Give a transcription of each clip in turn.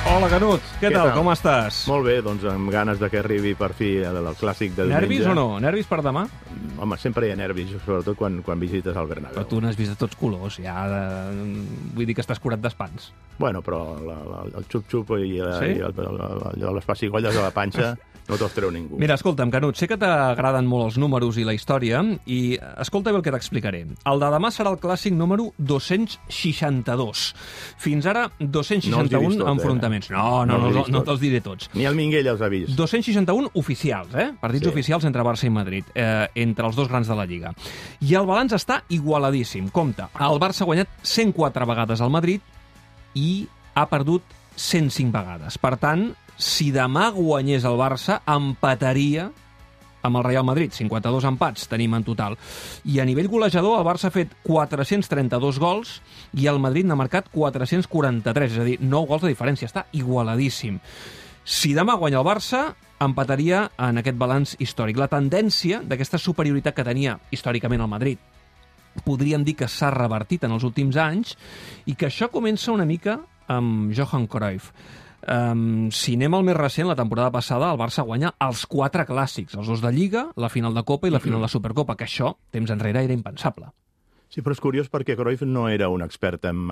Hola, Canut. Què tal? Com estàs? Molt bé, doncs amb ganes de que arribi per fi el clàssic de diumenge. Nervis o no? Nervis per demà? Home, sempre hi ha nervis, sobretot quan visites el Bernabéu. Però tu n'has vist de tots colors, ja. Vull dir que estàs curat d'espants. Bueno, però el xup-xup i les pessigolles de la panxa no te'ls treu ningú. Mira, escolta'm, Canut, sé que t'agraden molt els números i la història, i escolta bé el que t'explicaré. El de demà serà el clàssic número 262. Fins ara, 261 enfrontaments. No te'ls diré tots. Ni el Minguell els ha vist. 261 oficials, partits oficials entre Barça i Madrid, entre els dos grans de la Lliga. I el balanç està igualadíssim. Compte, el Barça ha guanyat 104 vegades al Madrid i ha perdut 105 vegades. Per tant, si demà guanyés el Barça, empataria amb el Real Madrid. 52 empats tenim en total. I a nivell golejador, el Barça ha fet 432 gols i el Madrid n'ha marcat 443, és a dir, 9 gols de diferència. Està igualadíssim. Si demà guanya el Barça, empataria en aquest balanç històric. La tendència d'aquesta superioritat que tenia històricament el Madrid podríem dir que s'ha revertit en els últims anys i que això comença una mica amb Johan Cruyff. Si anem al més recent, la temporada passada el Barça guanya els 4 clàssics, els 2 de Lliga, la final de Copa i la final de Supercopa, que això, temps enrere, era impensable. Sí, però és curiós perquè Cruyff no era un expert en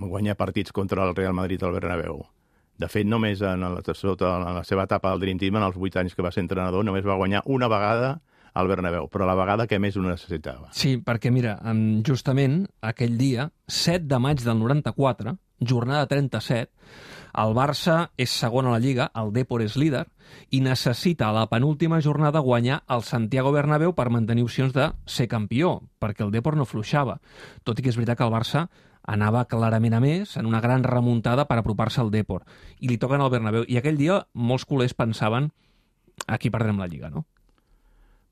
guanyar partits contra el Real Madrid al Bernabéu. De fet, només en la seva etapa al Dream Team, en els 8 anys que va ser entrenador, només va guanyar una vegada al Bernabéu, però la vegada que més ho necessitava. Sí, perquè mira, justament aquell dia, 7 de maig del 94, jornada 37, el Barça és segon a la Lliga, el Depor és líder, i necessita a la penúltima jornada guanyar el Santiago Bernabéu per mantenir opcions de ser campió, perquè el Depor no fluixava. Tot i que és veritat que el Barça anava clarament a més, en una gran remuntada per apropar-se al Depor. I li toquen al Bernabéu. I aquell dia molts culers pensaven aquí perdrem la Lliga, no?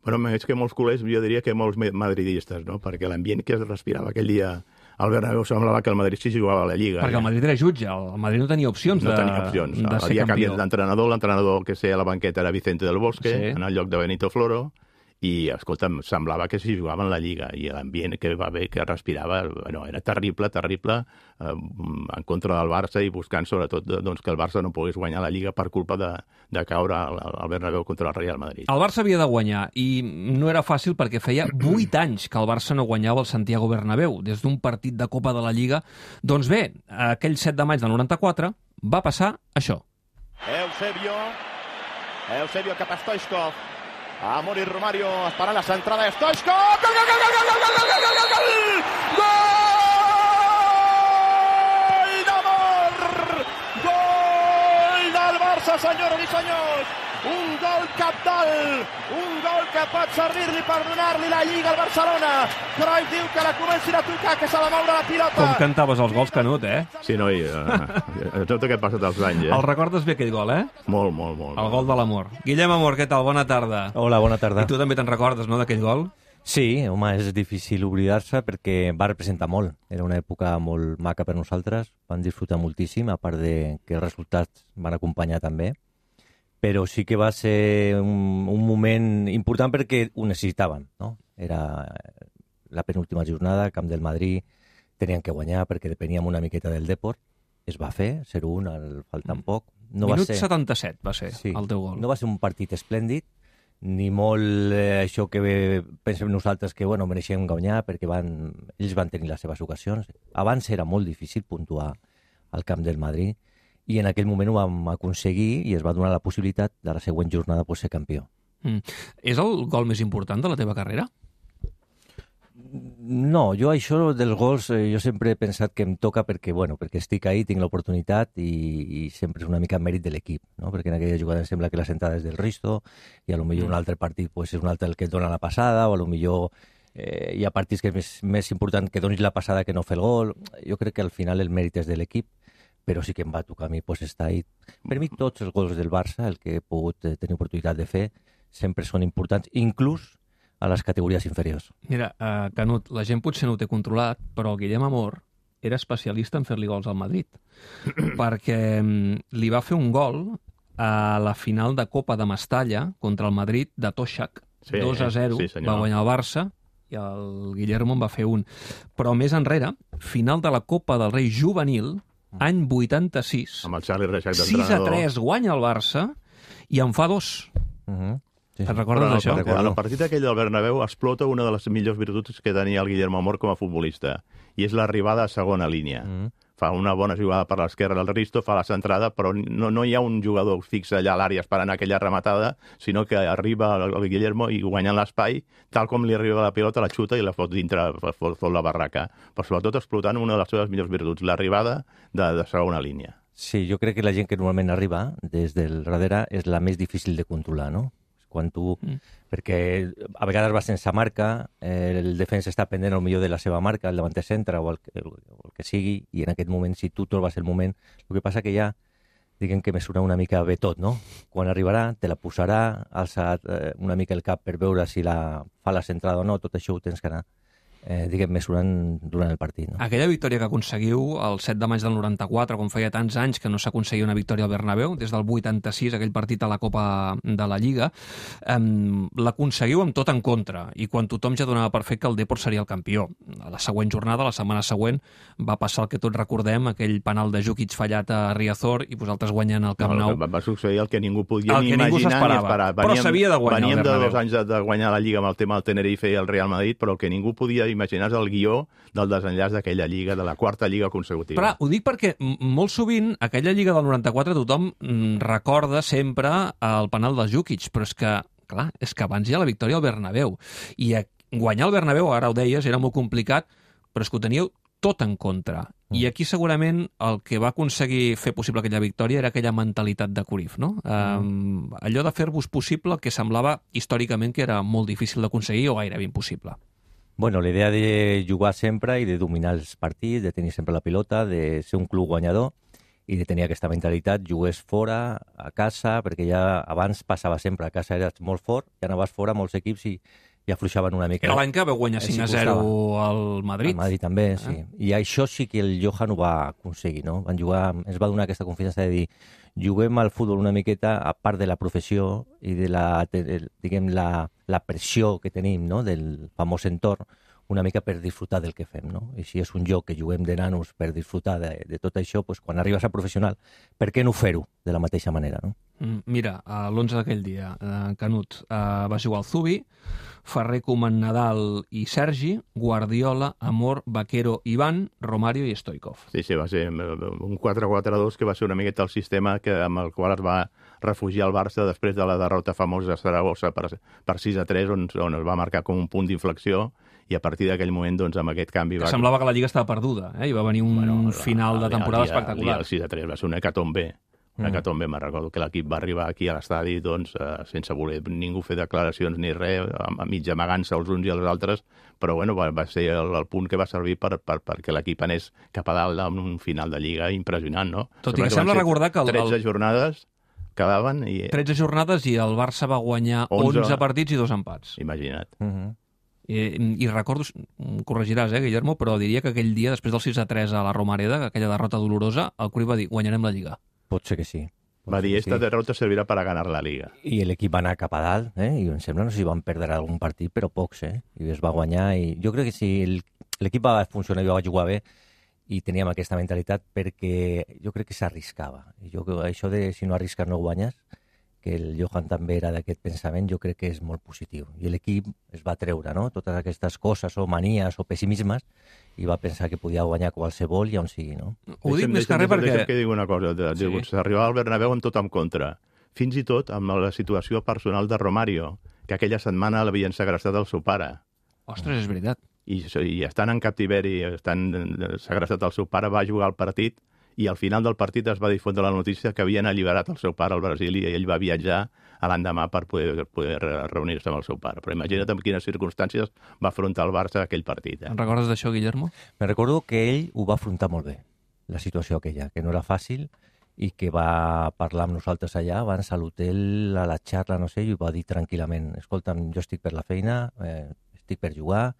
Però és que molts culers, jo diria que molts madridistes, no? Perquè l'ambient que es respirava aquell dia al Bernabéu semblava que el Madrid sí jugava a la Lliga. Perquè el Madrid era jutge, el Madrid no tenia opcions de ser campió. Havia canviat l'entrenador que sé a la banqueta era Vicente del Bosque, en el lloc de Benito Floro, i, escolta'm, semblava que s'hi jugava en la Lliga, i l'ambient que va bé, que respirava, bueno, era terrible, en contra del Barça i buscant sobretot doncs, que el Barça no pogués guanyar la Lliga per culpa de caure al Bernabéu contra el Real Madrid. El Barça havia de guanyar, i no era fàcil perquè feia 8 anys que el Barça no guanyava el Santiago Bernabéu, des d'un partit de Copa de la Lliga. Doncs bé, aquell 7 de maig del 94 va passar això. Eusebio cap a Stoichkov. Amor i Romario esperant la centrada de Stoichkov. Gol, gol, gol, gol, gol, gol, gol, gol, gol, gol! Gol d'Amor! Gol del Barça, senyores i senyors! Un gol cabdal, un gol que pot servir-li per donar-li la Lliga al Barcelona. Cruyff diu que la comencin a tocar, que s'ha de moure la pilota. Com cantaves els gols, Canut, Sí, noi, tot aquest passat els anys, El recordes bé, aquell gol, Molt, molt, molt. El gol de l'amor. Guillem Amor, què tal? Bona tarda. Hola, bona tarda. I tu també te'n recordes, no, d'aquell gol? Sí, home, és difícil oblidar-se perquè va representar molt. Era una època molt maca per nosaltres, vam disfrutar moltíssim, a part de que els resultats van acompanyar també. Però sí que va ser un moment important perquè ho necessitaven, no? Era la penúltima jornada, Camp del Madrid, tenien que guanyar perquè depeníem una miqueta del Depor. Es va fer, 0-1, faltant poc. Minut 77 va ser el teu gol. No va ser un partit esplèndid, ni molt això que pensem nosaltres que mereixem guanyar perquè ells van tenir les seves ocasions. Abans era molt difícil puntuar al Camp del Madrid, i en aquell moment ho vam aconseguir i es va donar la possibilitat de la següent jornada ser campió. És el gol més important de la teva carrera? No, jo això dels gols jo sempre he pensat que em toca perquè estic ahí, tinc l'oportunitat i sempre és una mica mèrit de l'equip, no? Perquè en aquella jugada em sembla que la sentada és del Risto i potser un altre partit és un altre el que et dona la passada o potser hi ha partits que és més important que donis la passada que no fer el gol. Jo crec que al final el mèrit és de l'equip, però sí que em va tocar a mi estar ahí. Per mi tots els gols del Barça, el que he pogut tenir oportunitat de fer, sempre són importants, inclús a les categories inferiors. Mira, Canut, la gent potser no ho té controlat, però el Guillem Amor era especialista en fer-li gols al Madrid, perquè li va fer un gol a la final de Copa de Mestalla contra el Madrid de Toshak, 2-0, va guanyar el Barça, i el Guillermo en va fer un. Però més enrere, final de la Copa del Rei juvenil, any 86. Amb el Charlie Reixac d'entrenador. 6-3 guanya el Barça i en fa 2. Sí, Te'n recordes d'això? En el partit aquell del Bernabéu explota una de les millors virtuts que tenia el Guillermo Amor com a futbolista, i és l'arribada a segona línia. Fa una bona jugada per l'esquerra del Risto, fa la centrada, però no hi ha un jugador fix allà a l'àrea esperant aquella rematada, sinó que arriba el Guillermo i guanyant l'espai, tal com li arriba la pilota, la xuta i la fot dintre, fot la barraca. Però sobretot explotant una de les seves millors virtuts, l'arribada de segona línia. Sí, jo crec que la gent que normalment arriba des del darrere és la més difícil de controlar, no? Quan tu... Perquè a vegades va sense marca, el defensa està pendent al millor de la seva marca, el davanter centre o el que sigui, i en aquest moment, si tu trobes el moment... El que passa que ja, diguem que mesura una mica bé tot, no? Quan arribarà, te la posarà, alça una mica el cap per veure si fa la centrada o no, tot això ho tens que anar mesurant durant el partit. No? Aquella victòria que aconseguiu el 7 de maig del 94, com feia tants anys que no s'aconseguia una victòria al Bernabéu, des del 86, aquell partit a la Copa de la Lliga, l'aconseguiu amb tot en contra, i quan tothom ja donava per fet que el Depor seria el campió. A la següent jornada, la setmana següent, va passar el que tots recordem, aquell penal de Jukic fallat a Riazor i vosaltres guanyant el Camp Nou. Va succeir el que ningú podia ni imaginar ni esperar. Però s'havia de guanyar el Bernabéu. Veníem de 2 anys de guanyar la Lliga amb el tema del Tenerife i el Real Madrid, però el que ningú podia imaginar el guió del desenllaç d'aquella Lliga, de la quarta Lliga consecutiva. Però ho dic perquè molt sovint aquella Lliga del 94 tothom recorda sempre el penal del Jukic, però és que abans hi ha la victòria al Bernabéu. I guanyar el Bernabéu, ara ho deies, era molt complicat, però és que ho teníeu tot en contra. I aquí segurament el que va aconseguir fer possible aquella victòria era aquella mentalitat de Cruyff, no? Allò de fer-vos possible el que semblava històricament que era molt difícil d'aconseguir o gairebé impossible. Bueno, la idea de jugar sempre i de dominar els partits, de tenir sempre la pilota, de ser un club guanyador i de tenir aquesta mentalitat, jugués fora, a casa, perquè ja abans passava sempre, a casa eres molt fort, ja anaves fora, molts equips i afluixaven una mica. Era l'any que vau guanyar 5-0 al Madrid. Al Madrid també, sí. I això sí que el Johan ho va aconseguir, no? Van jugar, ens va donar aquesta confiança de dir juguem al futbol una miqueta a part de la professió i de la pressió que tenim, no? Del famós entorn, una mica per disfrutar del que fem, no? I si és un joc que juguem de nanos per disfrutar de tot això, doncs quan arribes a professional, per què no fer-ho de la mateixa manera, no? Mira, l'11 d'aquell dia, Canut, va jugar el Zubi, Ferrer, Koeman, Nadal i Sergi, Guardiola, Amor, Vaquero, Iván, Romario i Stoikov. Sí, va ser un 4-4-2 que va ser una miqueta el sistema amb el qual es va refugiar el Barça després de la derrota famosa a Saragossa per 6-3, on es va marcar com un punt d'inflexió, i a partir d'aquell moment, doncs, amb aquest canvi... Semblava que la Lliga estava perduda, i va venir un final de temporada espectacular. El 6-3 va ser una hecatombe. Me'n recordo que l'equip va arribar aquí a l'estadi doncs, sense voler ningú fer declaracions ni res, a mig amagant-se els uns i els altres, però bueno, va ser el punt que va servir perquè l'equip anés cap a dalt amb un final de Lliga impressionant, no? Tot i que sembla recordar que... 13 jornades quedaven i... 13 jornades i el Barça va guanyar 11 partits i 2 empats. Imagina't. I recordo, corregiràs, Guillermo, però diria que aquell dia, després del 6-3 a la Romareda, aquella derrota dolorosa, el Cruyff va dir, guanyarem la Lliga. Pot ser que sí. Va dir, esta derrota servirà per a ganar la Liga. I l'equip va anar cap a dalt, i em sembla, no sé si van perdre algun partit, però pocs, i es va guanyar. I jo crec que si l'equip va funcionar i va jugar bé, i teníem aquesta mentalitat, perquè jo crec que s'arriscava. Això de si no arrisques no guanyes, que el Johan també era d'aquest pensament, jo crec que és molt positiu. I l'equip es va treure, no?, totes aquestes coses o manies o pessimismes i va pensar que podia guanyar qualsevol i on sigui, no? Ho dic més que res perquè... Deixa'm que digui una cosa. S'arribava al Bernabéu amb tot en contra. Fins i tot amb la situació personal de Romario, que aquella setmana l'havien segrestat el seu pare. Ostres, és veritat. I estant en captiveri, estant segrestat el seu pare, va jugar al partit i al final del partit es va difondre la notícia que havien alliberat el seu pare al Brasil i ell va viatjar a l'endemà per poder reunir-se amb el seu pare. Però imagina't en quines circumstàncies va afrontar el Barça aquell partit. En recordes d'això, Guillermo? Me recordo que ell ho va afrontar molt bé, la situació aquella, que no era fàcil i que va parlar amb nosaltres allà abans a l'hotel, a la xarra, no sé, i ho va dir tranquil·lament. Escolta'm, jo estic per la feina, estic per jugar,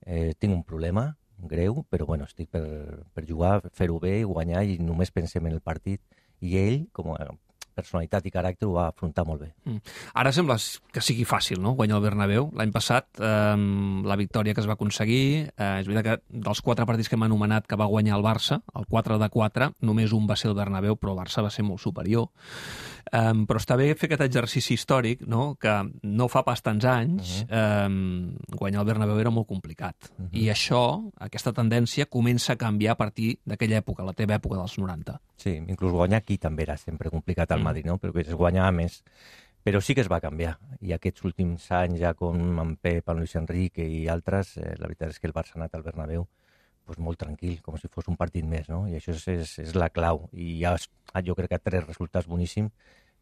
tinc un problema greu, però bueno, estic per jugar, fer-ho bé, guanyar i només pensem en el partit. I ell, com personalitat i caràcter ho va afrontar molt bé. Ara sembla que sigui fàcil, no?, guanyar el Bernabéu. L'any passat, la victòria que es va aconseguir, és veritat que dels 4 partits que hem anomenat que va guanyar el Barça, el 4 de 4, només un va ser el Bernabéu, però el Barça va ser molt superior. Però està bé fer aquest exercici històric, no?, que no fa pas tants anys guanyar el Bernabéu era molt complicat. I això, aquesta tendència, comença a canviar a partir d'aquella època, la teva època dels 90. Sí, inclús guanyar aquí també era sempre complicat al Madrid, no?, perquè es guanyava més. Però sí que es va canviar. I aquests últims anys, ja com en Pep, en Luis Enrique i altres, la veritat és que el Barça ha anat al Bernabéu pues, molt tranquil, com si fos un partit més, no? I això és la clau. I ja jo crec que 3 resultats boníssims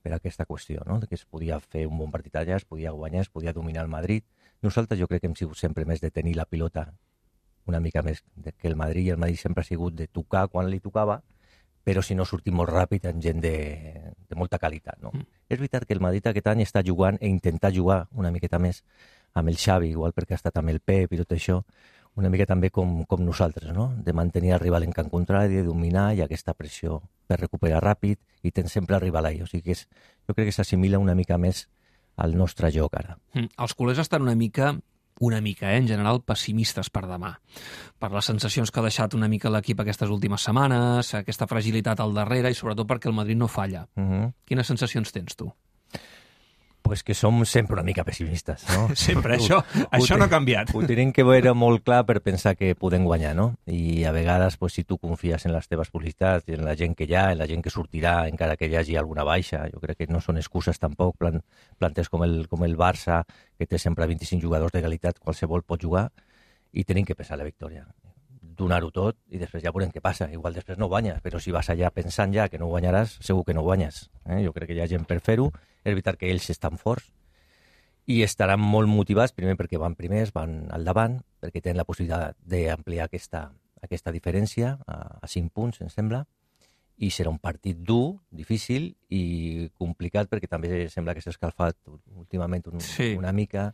per a aquesta qüestió, no?, que es podia fer un bon partit allà, es podia guanyar, es podia dominar el Madrid. Nosaltres jo crec que hem sigut sempre més de tenir la pilota una mica més que el Madrid, i el Madrid sempre ha sigut de tocar quan li tocava, però si no sortim molt ràpid en gent de molta qualitat, no? És veritat que el Madrid aquest any està jugant i intentar jugar una miqueta més amb el Xavi, igual perquè ha estat amb el Pep i tot això, una mica també com nosaltres, no?, de mantenir el rival en camp contrari, de dominar i aquesta pressió per recuperar ràpid i tens sempre el rival ahí. O sigui que jo crec que s'assimila una mica més al nostre joc ara. Els culers estan una mica, en general, pessimistes per demà. Per les sensacions que ha deixat una mica l'equip aquestes últimes setmanes, aquesta fragilitat al darrere i sobretot perquè el Madrid no falla. Quines sensacions tens tu? Pues que som sempre una mica pessimistes, no? Sempre, això no ha canviat. Ho tenim que veure molt clar per pensar que podem guanyar, no? I a vegades, pues, si tu confies en les teves possibilitats i en la gent que hi ha, en la gent que sortirà, encara que hi hagi alguna baixa, jo crec que no són excuses tampoc, plantes com el Barça, que té sempre 25 jugadors de qualitat, qualsevol pot jugar, i tenim que pensar la victòria. Donar-ho tot i després ja veurem què passa. Igual després no guanyes, però si vas allà pensant ja que no guanyaràs, segur que no guanyes. Jo crec que hi ha gent per fer-ho. És veritat que ells estan forts i estaran molt motivats, primer perquè van primers, van al davant, perquè tenen la possibilitat d'ampliar aquesta diferència a 5 punts, em sembla, i serà un partit dur, difícil i complicat, perquè també sembla que s'ha escalfat últimament una mica,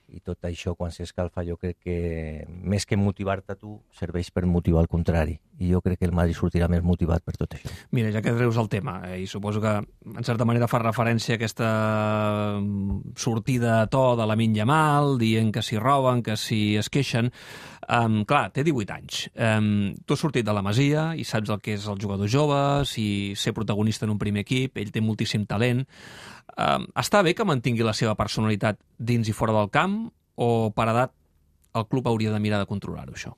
i tot això, quan s'escalfa, jo crec que més que motivar-te tu, serveix per motivar el contrari. I jo crec que el Madrid sortirà més motivat per tot això. Mira, ja que treus el tema, i suposo que en certa manera fa referència a aquesta sortida a to de Lamine Yamal, dient que s'hi roben, que s'hi es queixen. Clar, té 18 anys. Tu has sortit de la Masia i saps el que és el jugador jove, si ser protagonista en un primer equip, ell té moltíssim talent. Està bé que mantingui la seva personalitat dins i fora del camp, o per edat el club hauria de mirar de controlar-ho, això?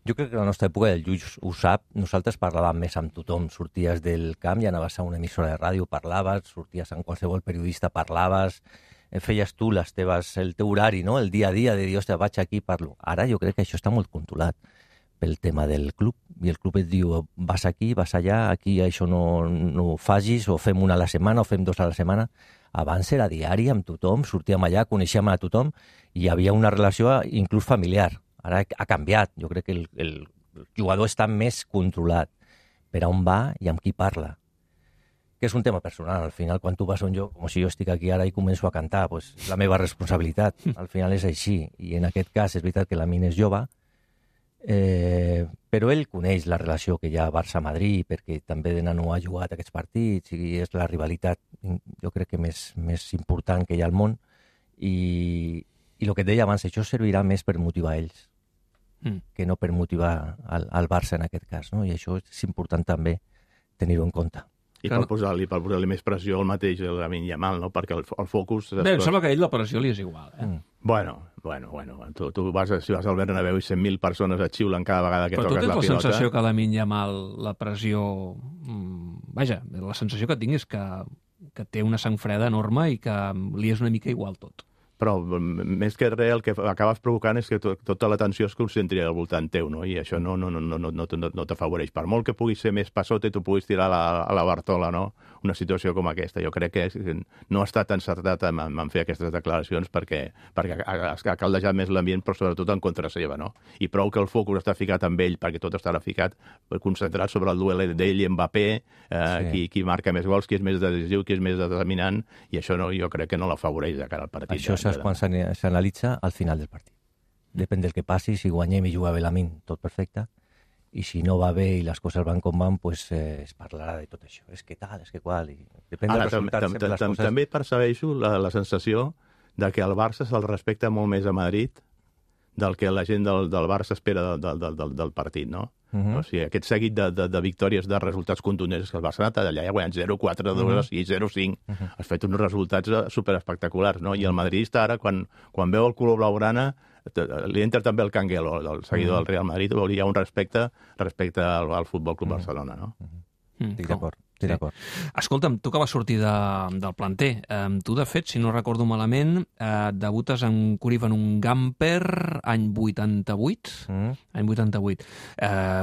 Jo crec que a la nostra època, el Lluís ho sap, nosaltres parlàvem més amb tothom. Sorties del camp i anaves a una emissora de ràdio, parlaves, sorties amb qualsevol periodista, parlaves, feies tu el teu horari, no?, el dia a dia, de dir, ostres, vaig aquí, parlo. Ara jo crec que això està molt controlat pel tema del club, i el club et diu, vas aquí, vas allà, aquí això no facis, o fem una a la setmana, o fem 2 a la setmana. Abans era diari amb tothom, sortíem allà, coneixíem a tothom, i hi havia una relació inclús familiar. Ara ha canviat. Jo crec que el jugador està més controlat per a on va i amb qui parla. Que és un tema personal. Al final, quan tu vas a un lloc, com si jo estic aquí ara i començo a cantar, pues, la meva responsabilitat. Al final és així. I en aquest cas és veritat que Lamine és jove, però ell coneix la relació que hi ha Barça-Madrid, perquè també de nano ha jugat aquests partits, i és la rivalitat, jo crec que més important que hi ha al món. I el que et deia abans, això servirà més per motivar ells que no per motivar al Barça en aquest cas, no? I això és important també tenir-ho en compte. I per posar-li més pressió al mateix el Lamine Yamal, no? Perquè el focus... Bé, em sembla que a ell la pressió li és igual, Bueno. Tu si vas al Bernabéu i 100.000 persones et xiulen cada vegada que toques la pilota... Però tu tens la sensació que a Lamine Yamal la pressió... Vaja, la sensació que tinc és que té una sang freda enorme i que li és una mica igual tot. Però més que res el que acabes provocant és que tota l'atenció es concentri al voltant teu, no? I això no t'afavoreix. Per molt que puguis ser més passote, tu puguis tirar a la Bartola, no? Una situació com aquesta. Jo crec que no ha estat encertat en fer aquestes declaracions perquè ha caldejat més l'ambient, però sobretot en contra seva, no? I prou que el focus està ficat amb ell, perquè tot estarà ficat, concentrat sobre el duel d'ell i Mbappé, qui marca més gols, qui és més decisiu, qui és més determinant, i això jo crec que no l'afavoreix de cara al partit. Això és quan s'analitza al final del partit. Depèn del que passi, si guanyem i juga bé Lamine, tot perfecte, i si no va bé i les coses van com van, pues, es parlarà de tot això. És que tal, és que qual. I depèn dels resultats, sempre les coses... També percebeixo la sensació de que el Barça se'l respecta molt més a Madrid del que la gent del Barça espera del partit, no? O sigui, aquest seguit de victòries, de resultats contundents, que el Barça ha anat allà i ha guanyat 0-4, 2-6, 0-5. Has fet uns resultats superespectaculars, no? I el madridista ara, quan veu el color blaugrana, li entra també el canguelo, el seguidor del Real Madrid, vol dir, hi ha un respecte al Futbol Club Barcelona, no? Estic d'acord. Escolta'm, tu que vas sortir del planter, tu, de fet, si no recordo malament, debutes en Cruyff en un Gamper any 88. Any 88.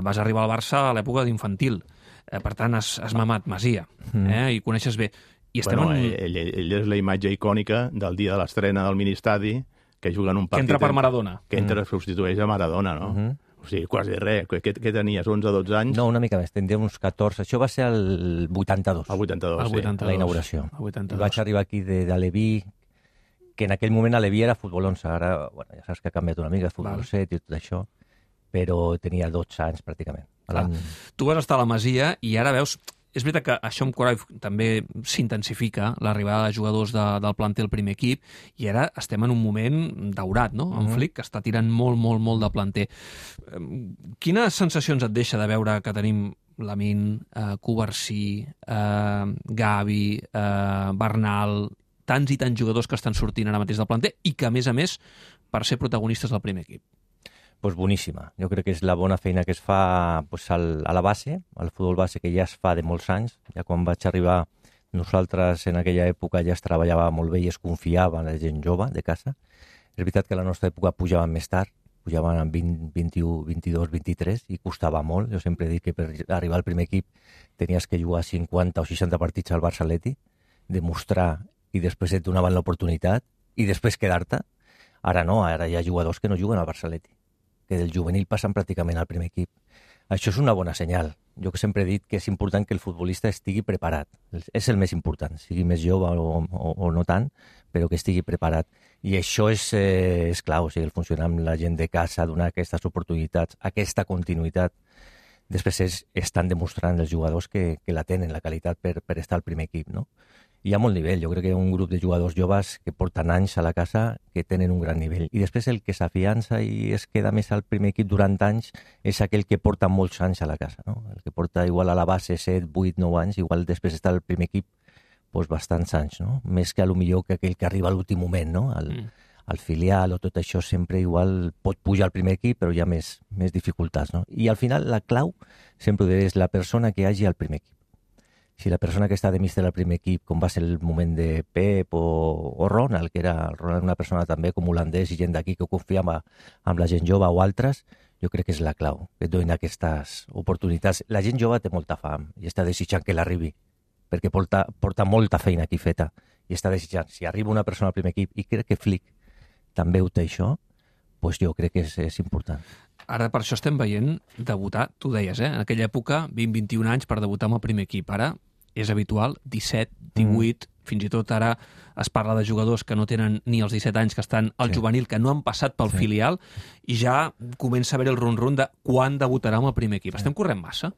Vas arribar al Barça a l'època d'infantil. Per tant, has mamat Masia, i coneixes bé. I estem ell és la imatge icònica del dia de l'estrena del Ministadi, que juga en un partit... Que entra per Maradona. Que entra, substitueix a Maradona, no? O sigui, quasi res. Què tenies, 11-12 anys? No, una mica més, tindria uns 14. Això va ser el 82. El 82, sí. La inauguració. El 82. Vaig arribar aquí d'Aleví, que en aquell moment Aleví era futbol 11. Ara, bueno, ja saps que ha canviat una mica, futbol 7 i tot això, però tenia 12 anys pràcticament. Tu vas estar a la Masia i ara veus... És veritat que això amb Cruyff també s'intensifica, l'arribada de jugadors del planter al primer equip, i ara estem en un moment daurat, no? En Flick, que està tirant molt, molt, molt de planter. Quines sensacions et deixa de veure que tenim Lamine, Covarsí, Gavi, Bernal, tants i tants jugadors que estan sortint ara mateix del planter i que, a més, per ser protagonistes del primer equip? Pues boníssima. Jo crec que és la bona feina que es fa pues, a la base, al futbol base, que ja es fa de molts anys. Ja quan vaig arribar, nosaltres en aquella època ja es treballava molt bé i es confiava en la gent jove de casa. És veritat que a la nostra època pujaven més tard, pujaven amb 20, 21, 22, 23, i costava molt. Jo sempre he dit que per arribar al primer equip tenies que jugar 50 o 60 partits al Barça Atleti, demostrar i després et donaven l'oportunitat i després quedar-te. Ara no, ara hi ha jugadors que no juguen al Barça Atleti, que del juvenil passen pràcticament al primer equip. Això és una bona senyal. Jo que sempre he dit que és important que el futbolista estigui preparat. És el més important, sigui més jove o no tant, però que estigui preparat. I això és clau, o sigui, el funcionar amb la gent de casa, donar aquestes oportunitats, aquesta continuïtat. Després estan demostrant els jugadors que la tenen, la qualitat per estar al primer equip, no? Hi ha molt nivell. Jo crec que hi ha un grup de jugadors joves que porten anys a la casa que tenen un gran nivell. I després el que s'afiança i es queda més al primer equip durant anys és aquell que porta molts anys a la casa, no? El que porta igual a la base 7, 8, 9 anys, igual després està al primer equip doncs bastants anys, no? Més que millor que aquell que arriba a l'últim moment, no? Al filial o tot això sempre igual pot pujar al primer equip, però hi ha més dificultats, no? I al final la clau sempre ho diré, és la persona que hi hagi al primer equip. Si la persona que està de míster al primer equip, com va ser el moment de Pep o Ronald, que era Ronald una persona també com holandès i gent d'aquí que confiava amb la gent jove o altres, jo crec que és la clau, que et donin aquestes oportunitats. La gent jove té molta fam i està desitjant que l'arribi, perquè porta molta feina aquí feta i està desitjant. Si arriba una persona al primer equip, i crec que Flick també ho té això, doncs jo crec que és important. Ara per això estem veient debutar, tu deies, en aquella època, 20-21 anys per debutar amb el primer equip. Ara és habitual, 17, 18, fins i tot ara es parla de jugadors que no tenen ni els 17 anys, que estan al juvenil, que no han passat pel filial, i ja comença a haver el rum-rum de quan debutarà amb el primer equip. Estem corrent massa?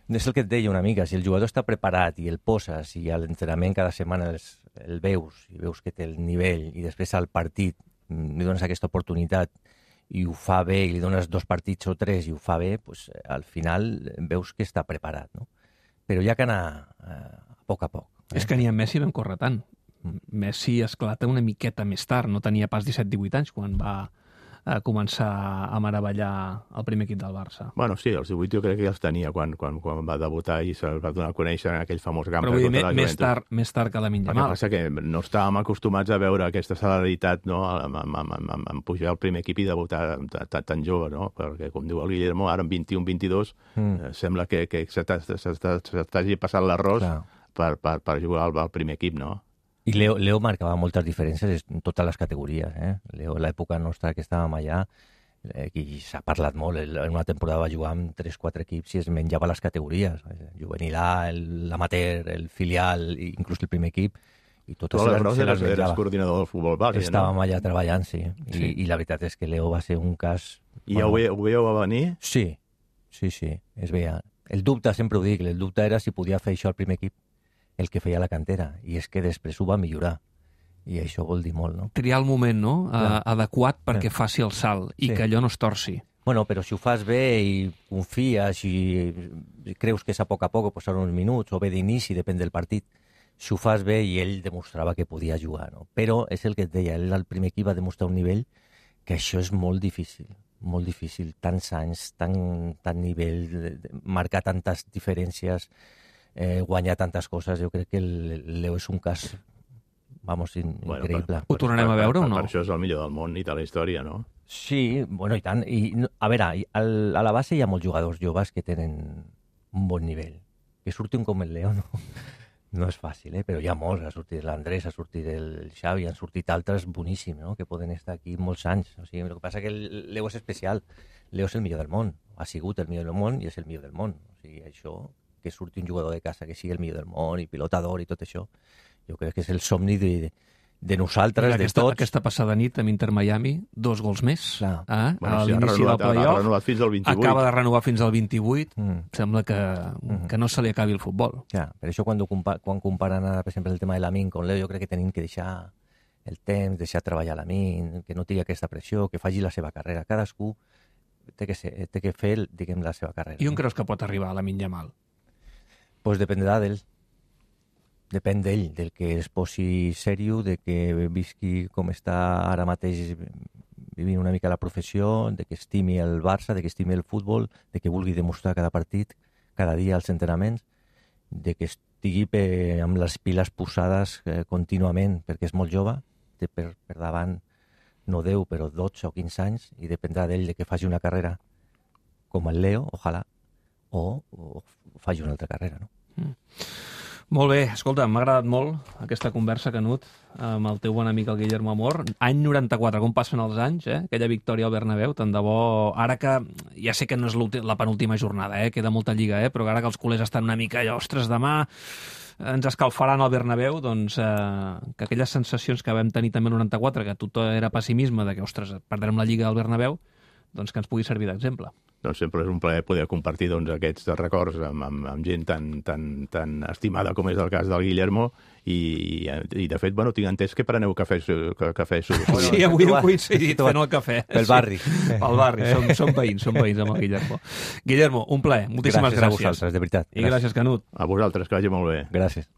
És el que et deia una mica, si el jugador està preparat i el poses i a l'entrenament cada setmana el veus i veus que té el nivell i després al partit li dones aquesta oportunitat i ho fa bé i li dones 2 partits o 3 i ho fa bé, doncs, al final veus que està preparat, no? Però hi ha que anar a poc a poc. És que ni en Messi vam córrer tant. Messi esclata una miqueta més tard, no tenia pas 17-18 anys quan va començar a meravellar el primer equip del Barça. Bueno, sí, els 18 jo crec que ja els tenia quan va debutar i se'l va donar a conèixer en aquell famós Gamper. Però vull dir, més tard que Lamine Yamal. El que passa que no estàvem acostumats a veure aquesta celeritat, no?, en pujar al primer equip i debutar tan jove, no? Perquè, com diu el Guillermo, ara amb 21-22 sembla que s'estagi passant l'arròs per jugar al primer equip, no? I Leo marcava moltes diferències en totes les categories. Leo, a l'època nostra que estàvem allà, i s'ha parlat molt, en una temporada va jugar amb 3-4 equips i es menjava les categories. Juvenil A, l'amateur, el filial, inclús el primer equip, i totes se les menjava. Eres coordinador del futbol base, no? Estàvem allà treballant, sí. I la veritat és que Leo va ser un cas... I ja ho veieu a venir? Sí. Sí, es veia. El dubte, sempre ho dic, el dubte era si podia fer això al primer equip, el que feia la cantera, i és que després ho va millorar. I això vol dir molt, no? Triar el moment, no?, adequat perquè faci el salt i que allò no es torci. Bueno, però si ho fas bé i confies i creus que és a poc passar uns minuts o bé d'inici, depèn del partit, si ho fas bé, i ell demostrava que podia jugar, no? Però és el que et deia, ell al primer equip va demostrar un nivell que això és molt difícil, tants anys, tant nivell, marcar tantes diferències, guanyar tantes coses. Jo crec que el Leo és un cas, increïble. Ho tornarem a veure o no? Per això és el millor del món i de la història, no? Sí, bueno, i tant. I, a veure, a la base hi ha molts jugadors joves que tenen un bon nivell. Que surti un com el Leo, no és fàcil, però hi ha molts. Ha sortit l'Andrés, ha sortit el Xavi, han sortit altres boníssims, no?, que poden estar aquí molts anys. O sigui, el que passa que el Leo és especial. Leo és el millor del món. Ha sigut el millor del món i és el millor del món. O sigui, això, que surti un jugador de casa que sigui el millor del món i pilota d'or i tot això, jo crec que és el somni de nosaltres, de tots. Aquesta passada nit amb Inter Miami, 2 gols més. A l'inici del playoff. Ha renovat fins al 28. Acaba de renovar fins al 28. Sembla que no se li acabi el futbol. Ja, per això quan comparen, per exemple, el tema de Lamine con Leo, jo crec que tenim que deixar el temps, deixar treballar Lamine, que no tingui aquesta pressió, que faci la seva carrera. Cadascú té que fer, diguem, la seva carrera. I on creus que pot arribar Lamine Yamal? Pues dependrà d'ell. Depèn d'ell, del que es posi sèrio, de que visqui com està ara mateix vivint una mica la professió, de que estimi el Barça, de que estimi el futbol, de que vulgui demostrar cada partit, cada dia als entrenaments, de que estigui amb les piles posades contínuament, perquè és molt jove, té per davant no 10, però 12 o 15 anys, i dependrà d'ell de que faci una carrera com el Leo, ojalà, o faci una altra carrera, no? Molt bé, escolta, m'ha agradat molt aquesta conversa, Canut, amb el teu bon amic, el Guillermo Amor. Any 94, com passen els anys, aquella victòria al Bernabéu, tant de bo, ara que, ja sé que no és la penúltima jornada, queda molta lliga, però ara que els culers estan una mica allò, ostres, demà ens escalfaran al Bernabéu, doncs que aquelles sensacions que vam tenir també el 94, que tot era pessimisme, de que, ostres, perdrem la lliga al Bernabéu, doncs que ens pugui servir d'exemple. Doncs sempre és un plaer poder compartir aquests records amb gent tan estimada com és el cas del Guillermo i de fet, tinc entès que preneu cafè. Sí, avui hem coincidit fent el cafè. Pel barri. Pel barri, som veïns amb el Guillermo. Guillermo, un plaer, moltíssimes gràcies. Gràcies a vosaltres, de veritat. I gràcies, Canut. A vosaltres, que vagi molt bé. Gràcies.